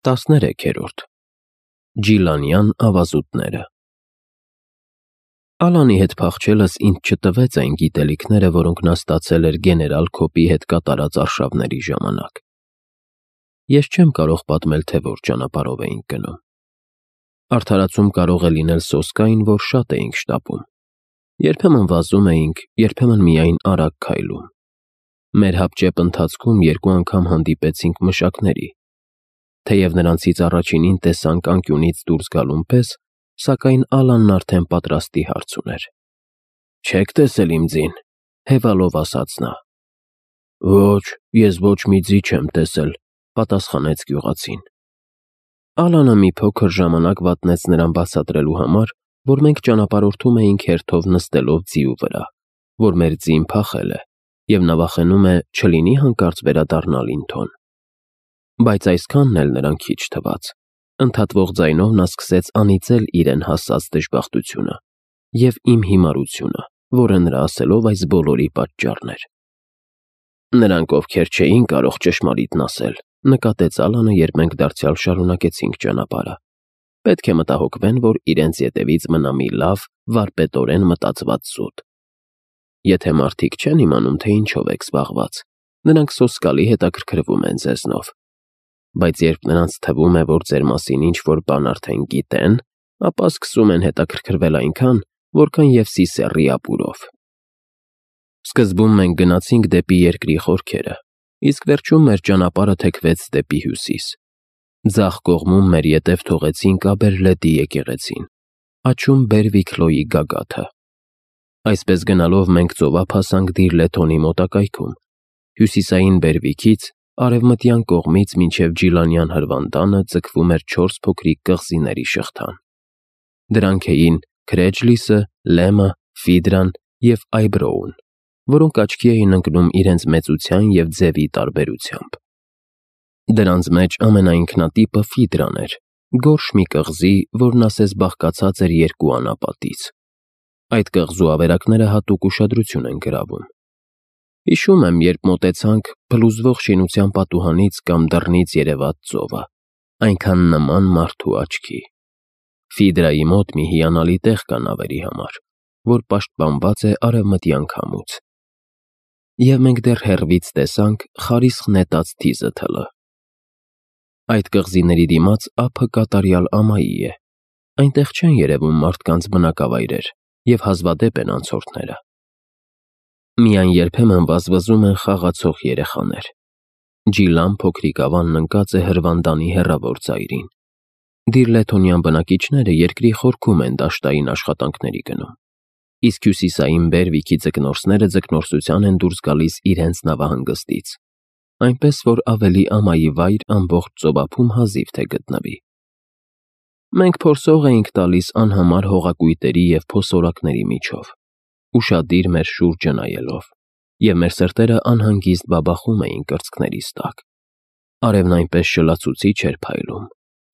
13-րդ Ջիլանյան ավազուտները Ալանի հետ փախչելս ինձ չտվեց այն գիտելիքները, որոնք նա ստացել էր գեներալ Քոպի հետ կատարած արշավների ժամանակ։ Ես չեմ կարող պատմել, թե որ ճանապարհով էինք գնում։ Արդարացում կարող է լինել սոսկային, որ շատ էինք շտապում։ Երբեմն վազում էինք, երբեմն միայն արագ քայլում։ Մեր հապճեպ ընթացքում 2 անգամ հանդիպեցինք մշակների։ Թեև նրանցից առաջինին տեսանք անկյունից դուրս գալուն պես, սակայն Ալանն արդեն պատրաստի հարց ուներ։ «Չեք տեսել իմ ձին», հևալով ասաց նա։ «Ոչ, ես ոչ մի ձի չեմ տեսել», պատասխանեց գյուղացին։ Ալանը մի փոքր ժամանակ վատնեց նրան բացատրելու համար, որ մենք ճանապարհորդում էինք հերթով նստելով ձիու վրա, որ մեր ձին փախել է, և նավախենում է չլինի հանկարծ վերադառնալ Ինթոն։ Բայց այսքանն էլ նրան քիչ թվաց։ Ընդհատվող ձայնով նա սկսեց անիծել իրեն հասած դժբախտությունը և իմ հիմարությունը, որը նրա ասելով այս բոլորի պատճառն էր։ Նրանք, ովքեր չէին կարող ճշմարիտն ասել, նկատեց Ալանը, երբ մենք դարձյալ շարունակեցինք ճանապարհը, պետք է մտահոգվեն, որ իրենց ետևից մնա մի լավ, վարպետորեն մտածված զուտ։ Եթե մարդիկ չեն իմանում, թե ինչով եք զբաղված, նրանք սոսկալի հետաքրքրվում են ձեզնով։ Բայց երբ նրանց թվում է, որ ձեր մասին ինչ-որ բան արդեն գիտեն, ապա սկսում են հետաքրքրվել այնքան, որքան և սիսեռի ապուրով։ Սկզբում մենք գնացինք դեպի երկրի խորքերը, իսկ վերջում մեր ճանապարհը թեքվեց դեպի հյուսիս։ Ձախ կողմում մեր ետև թողեցինք Աբերլեդի եկեղեցին, աջում Բերվիքլոյի գագաթը։ Այսպես գնալով մենք ծովափ հասանք Դիրլեթոնի մոտակայքում, հյուսիսային Բերվիքից արևմտյան կողմից մինչև Ջիլանյան հրվանդանը ձգվում էր 4 փոքրիկ կղզիների շղթան։ Դրանք էին Քրեջլիսը, Լեմը, Ֆիդրան և Այբրոուն, որոնք աչքի էին ընկնում իրենց մեծության և ձևի տարբերությամբ։ Դրանց մեջ ամենաինքնատիպը Ֆիդրան էր, գորշ մի կղզի, որն ասես բաղկացած էր 2 անապատից։ Այդ կղզու ավերակները հատուկ ուշադրություն են գրավում։ Հիշում եմ, երբ մոտեցանք փլուզվող շինության պատուհանից կամ դռնից երևաց ծովը, այնքան նման մարդու աչքի։ Ֆիդրայի մոտ մի հիանալի տեղ կա նավերի համար, որ պաշտպանված է արևմտյան քամուց։ Եվ մենք դեռ հեռվից տեսանք խարիսխ նետած թիզը։ Այդ կղզիների դիմաց ափը կատարյալ ամայի է։ Այնտեղ չեն երևում մարդկանց բնակավայրեր և հազվադեպ են անցորդները։ Միայն երբեմն վազվզում են խաղացող երեխաներ։ Ջիլան փոքրիկ ավանն ընկած է հրվանդանի հեռավոր ծայրին։ Դիրլեթոնյան բնակիչները երկրի խորքում են դաշտային աշխատանքների գնում, իսկ հյուսիսային Բերվիքի ձկնորսները ձկնորսության են դուրս գալիս իրենց նավահանգստից, այնպես որ ավելի ամայի վայր ամբողջ ծովափում հազիվ թե գտնվի։ Մենք փորձող էինք տալիս անհամար հողակույտերի և փոսորակների միջով, ուշադիր մեր շուրջը նայելով, և մեր սրտերը անհանգիստ բաբախում էին կրծքներիս տակ։ Արևն այնպես շլացուցիչ էր փայլում,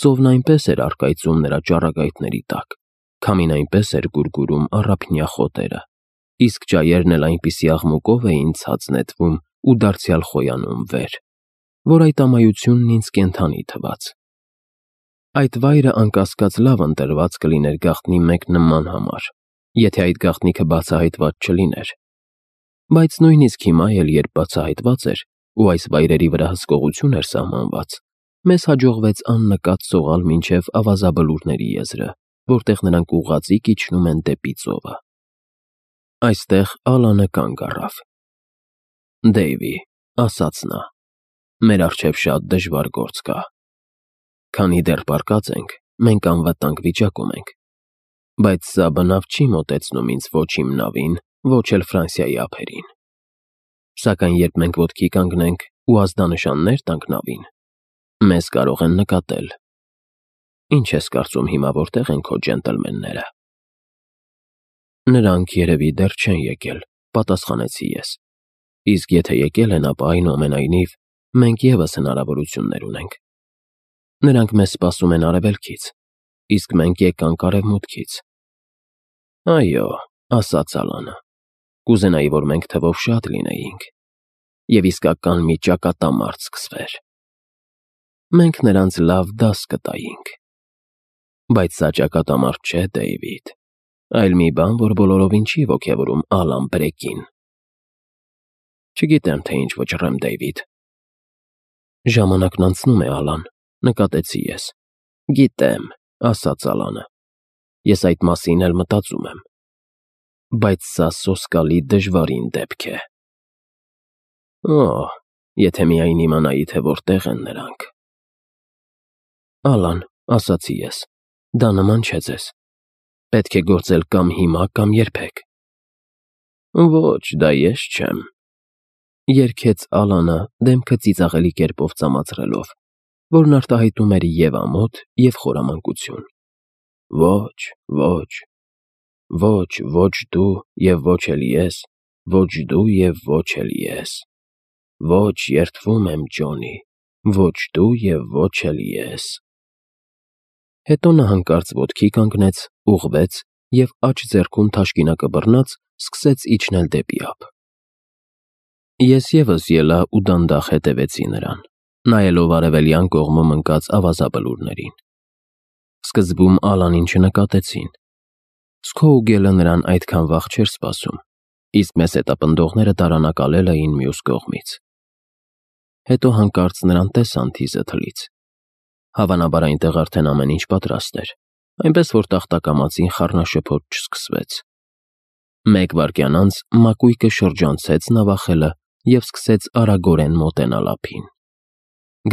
ծովն այնպես էր առկայծում նրա ճառագայթների տակ, քամին այնպես էր գուրգուրում առափնյա խոտերը, իսկ ջայերն էլ այնպիսի աղմուկով էին ցած նետվում ու դարձյալ խոյանում վեր, որ այդ ամայությունն ինձ կենդանի թվաց։ Այդ վայրը անկասկած լավ ընտրված կլիներ գաղտնի մեկ նման համար, եթե այդ գաղտնիքը բացահայտված չլիներ։ Բայց նույնիսկ հիմա էլ, երբ բացահայտված էր ու այս վայրերի վրա հսկողություն էր սահմանված, մեզ հաջողվեց աննկատ սողալ մինչև ավազաբլուրների եզրը, որտեղ նրանք ուղղաձիգ իջնում են դեպի ծովը։ Այստեղ Ալանը կանգ առավ։ «Դեյվի», ասաց նա, «մեր առջև շատ դժվար գործ կա։ Քանի դեռ պառկած ենք, մենք անվտանգ վիճակում ենք, բայց սա բնավ չի մոտեցնում ինձ ոչ իմ նավին, ոչ էլ Ֆրանսիայի ափերին։ Սակայն երբ մենք ոտքի կանգնենք ու ազդանշաններ տանք նավին, մեզ կարող են նկատել։ Ինչ ես կարծում հիմա որտեղ են քո ջենտլմենները»։ «Նրանք երևի դեռ չեն եկել», պատասխանեցի ես։ «Իսկ եթե եկել են, ապա այնուամենայնիվ մենք ևս հնարավորություններ ունենք։ Նրանք մեզ սպասում են արևելքից, իսկ մենք եկանք արևմուտքից»։ «Այո», ասաց Ալանը, «կուզենայի, որ մենք թվով շատ լինեինք, և իսկական մի ճակատամարտ սկսվեր»։ մենք նրանց լավ դաս կտայինք։ Բայց սա ճակատամարտ չէ, Դեյվիդ, այլ մի բան, որ բոլորովին չի ոգևորում Ալան Բրեկին։ Չգիտեմ, թե ինչ վճռեմ, Դեյվիդ։ Ժամանակն անցնում է, Ալան, նկատեցի ես։ Գիտեմ, ասաց Ալանը։ Ես այդ մասին էլ մտածում եմ։ Բայց սա սոսկալի դժվարին դեպք է։ Եթե միայն իմանայի, թե որտեղ են նրանք։ Ալան, ասացի ես, դա նման չէ ձեզ։ Պետք է գործել կամ հիմա, կամ երբեք։ Ոչ, դա ես չեմ։ Երգեց Ալանը դեմքը ծիծաղելի կերպով ծամացրելով, որն արտահայտում էր և ամոթ, և խորամանկություն։ Ոչ, ոչ, ոչ, ոչ դու և ոչ էլ ես, ոչ դու և ոչ էլ ես, ոչ, երդվում եմ, Ջոնի, ոչ դու և ոչ էլ ես։ Հետո նա հանկարծ ոտքի կանգնեց, ուղղվեց և աջ ձեռքում թաշկինակը բռնած սկսեց իջնել դեպի ափ։ Ես ևս ելա ու դանդաղ հետևեցի նրան, նայելով արևելյան կողմում ընկած ավազաբլուրներին։ Սկզբում Ալանին չնկատեցին։ Սքոուգելը նրան այդքան վաղ չէր սպասում, իսկ մեզ հետապնդողները դարանակալել էին մյուս կողմից։ Հետո հանկարծ նրան տեսան թիզը թլից։ Հավանաբար այնտեղ արդեն ամեն ինչ պատրաստ էր, այնպես որ տախտակամածին խառնաշփոթ չսկսվեց։ Մեկ վայրկյան անց մակույկը շրջանցեց նավախելը և սկսեց արագորեն մոտենալ ափին։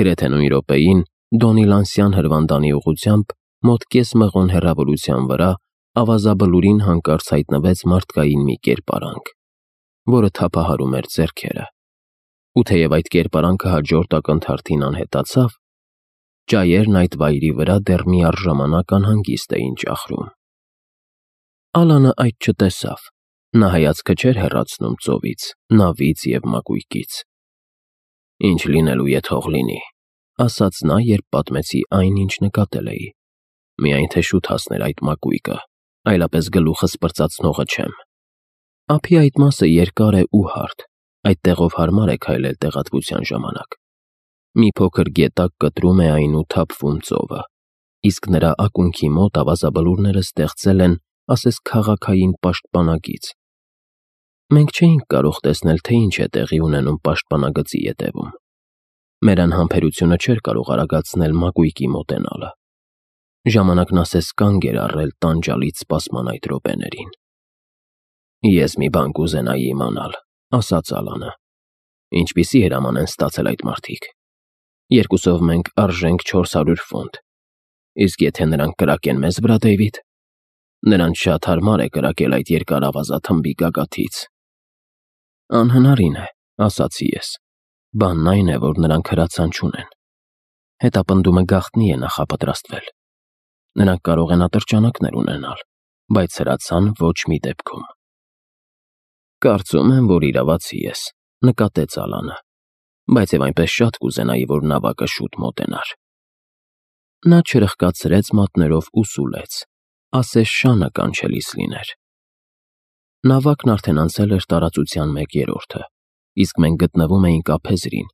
Գրեթե նույն րոպեին Դոնիլանսյան հրվանդանի ուղղությամբ մոտ կես մղոն հեռավորության վրա ավազաբլուրին հանկարծ հայտնվեց մարդկային մի կերպարանք, որը թափահարում էր ձեռքերը։ Ու թեև այդ կերպարանքը հաջորդ ակնթարթին անհետացավ, ճայերն այդ վայրի վրա դեռ միառժամանակ անհանգիստ էին ճախրում։ Ալանը այդ չտեսավ։ Նա հայացքը չէր հեռացնում ծովից, նավից և մակույկից։ Ինչ լինելու է թող լինի, ասաց նա, երբ պատմեցի այն, ինչ նկատել էի։ Միայն թե շուտ հասներ այդ մակույկը, այլապես գլուխս պրծացնողը չեմ։ Ափի այդ մասը երկար է ու հարթ, այդտեղով հարմար է քայլել տեղատվության ժամանակ։ Մի փոքր գետակ կտրում է այն ու թափվում ծովը, իսկ նրա ակունքի մոտ ավազաբլուրները ստեղծել են, ասես քաղաքային պաշտպանագիծ։ Մենք չէինք կարող տեսնել, թե ինչ է տեղի ունենում պաշտպանագծի ետևում։ Մեր անհամբերությունը չէր կարող արագացնել մակույկի մոտենալը։ Ժամանակն ասես կանգ էր առել տանջալից սպասման այդ րոպեներին։ Ես մի բան կուզենայի իմանալ, ասաց Ալանը։ Ինչպիսի հրաման են ստացել այդ մարդիկ։ Երկուսով մենք արժենք 400 ֆունտ։ Իսկ եթե նրանք կրակեն մեզ վրա, Դեյվիդ, նրանց շատ հարմար է կրակել այդ երկար ավազաթմբի գագաթից։ Անհնարին է, ասացի ես։ Բանն այն է, որ նրանք հրացան չունեն։ Հետապնդումը գաղտնի է նախապատրաստվել։ Նրանք կարող են ատրճանակներ ունենալ, բայց հրացան ոչ մի դեպքում։ Կարծում եմ, որ իրավացի ես, նկատեց Ալանը, բայց և այնպես շատ կուզենայի, որ նավակը շուտ մոտենար։ Նա չրխկացրեց մատներով ու սուլեց, ասես շանը կանչելիս լիներ։ Նավակն արդեն անցել էր տարածության 1/3, իսկ մենք գտնվում էինք ափեզրին,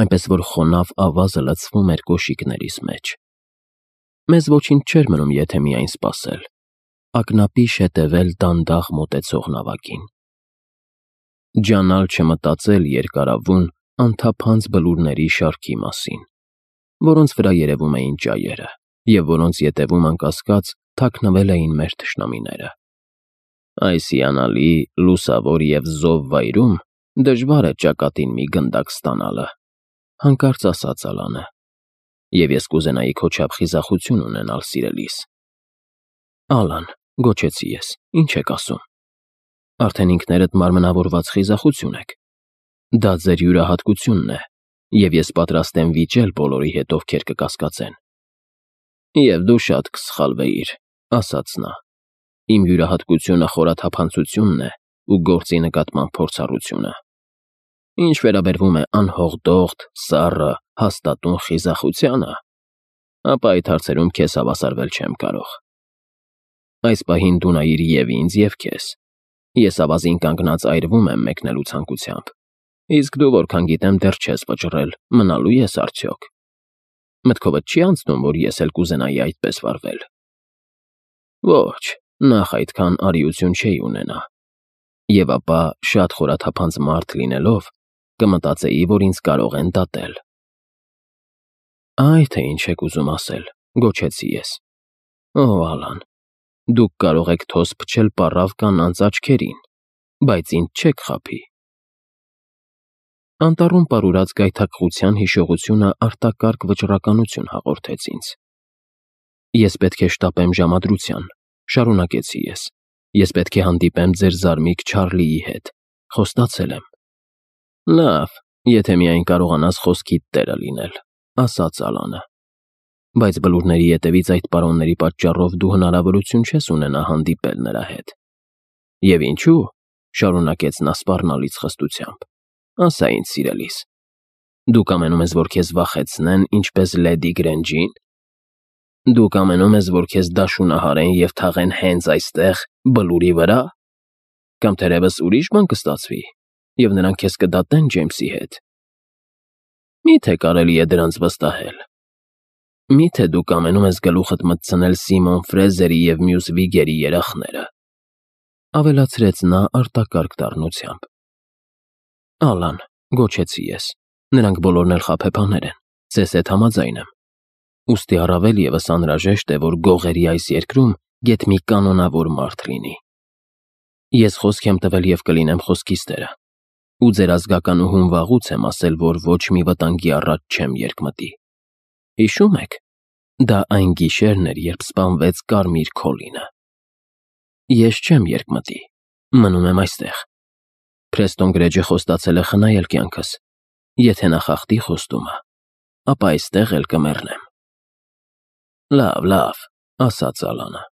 այնպես որ խոնավ ավազը լցվում էր կոշիկներիս մեջ։ Մեզ ոչինչ չէր մնում, եթե միայն սպասել, ակնապիշ հետևել դանդաղ մոտեցող նավակին։ Ջանալ չմտածել երկարավուն, անթափանց բլուրների շարքի մասին, որոնց վրա երևում էին ճայերը, և որոնց ետևում անկասկած թաքնվել էին մեր թշնամիները։ Այս հիանալի, լուսավոր և զով վայրում դժվար է ճակատին մի գնդակ ստանալը, հանկարծ ասաց Ալանը, և ես կուզենայի քո չափ խիզախություն ունենալ սիրելիս։ Ալան, գոչեցի ես, ինչ եք ասում։ Արդեն ինքներդ մարմնավորված խիզախություն եք։ Դա ձեր յուրահատկությունն է, և ես պատրաստ եմ վիճել բոլորի հետ, ովքեր կկասկածեն։ Եվ դու շատ կսխալվեիր, ասաց նա։ Իմ յուրահատկությունը խորաթափանցությունն է ու գործի նկատմամբ փորձառությունը։ Ինչ վերաբերվում է անհողդողդ, սառը, հաստատուն խիզախությանը, ապա այդ հարցերում քեզ հավասարվել չեմ կարող։ Այս պահին դու նայիր և ինձ, և քեզ։ Ես ավազին կանգնած այրվում եմ մեկնելու ցանկությամբ, իսկ դու, որքան գիտեմ, դեռ չես վճռել, մնալու ես արդյոք։ Մտքովդ չի անցնում, որ ես էլ կուզենայի այդպես վարվել։ Ոչ, նախ այդքան արիություն չէի ունենա։ Եվ ապա շատ խորաթափանց մարդ լինելով, կմտածեի, որ ինձ կարող են դատել։ Այ թե ինչ եք ուզում ասել, գոչեցի ես։ Օ, Ալան, դուք կարող եք թոս փչել պառավ կանանց աչքերին, բայց ինձ չեք խաբի։ Անտառում պարուրած գայթակղության հիշողությունը արտակարգ վճռականություն հաղորդեց ինձ։ Ես պետք է շտապեմ ժամադրության, շարունակեցի ես։ Ես պետք է հանդիպեմ ձեր զարմիկ Չարլիի հետ, խոստացել եմ։ Լավ, եթե միայն կարողանաս խոսքիդ տերը լինել, ասաց Ալանը։ Բայց բլուրների ետևից այդ պարոնների պատճառով դու հնարավորություն չես ունենա հանդիպել նրա հետ։ Եվ ինչու, շարունակեց նա սպառնալից խստությամբ, ասա ինձ սիրելիս, դուք ամենում ես, որ քեզ վախեցնեն, ինչպես Լեդի Գրենջին։ Դուք ամենում ես, որ քեզ դաշունահարեն և թաղեն հենց այստեղ, բլուրի վրա։ Կամ թերևս ուրիշ բան կստացվի, և նրանք քեզ կդատեն Ջեյմսի հետ։ Մի՞թե կարելի է դրանց վստահել։ Մի՞թե դուք ամենում ես գլուխդ մտցնել Սիմոն Ֆրեզերի և մյուս Վիգերի երախները, ավելացրեց նա արտակարգ դառնությամբ։ Ալան, գոչեցի ես, նրանք բոլորն էլ խաբեբաներ են, ձեզ հետ համաձայն եմ։ Ուստի առավել ևս անհրաժեշտ է, որ գողերի այս երկրում գեթ մի կանոնավոր մարդ լինի։ Ես խոսք եմ տվել և կլինեմ խոսքիս տերը, ու ձեր ազգականուհուն վաղուց եմ ասել, որ ոչ մի վտանգի առաջ չեմ երկմտի։ Հիշում եք, դա այն գիշերն էր, երբ սպանվեց Կարմիր Քոլինը։ Ես չեմ երկմտի, մնում եմ այստեղ։ Փրեստոն Գրեջը խոստացել է խնայել կյանքս, եթե նա խախտի խոստումը, ապա այստեղ էլ կմեռնեմ։ Լավ, ասաց Ալանը։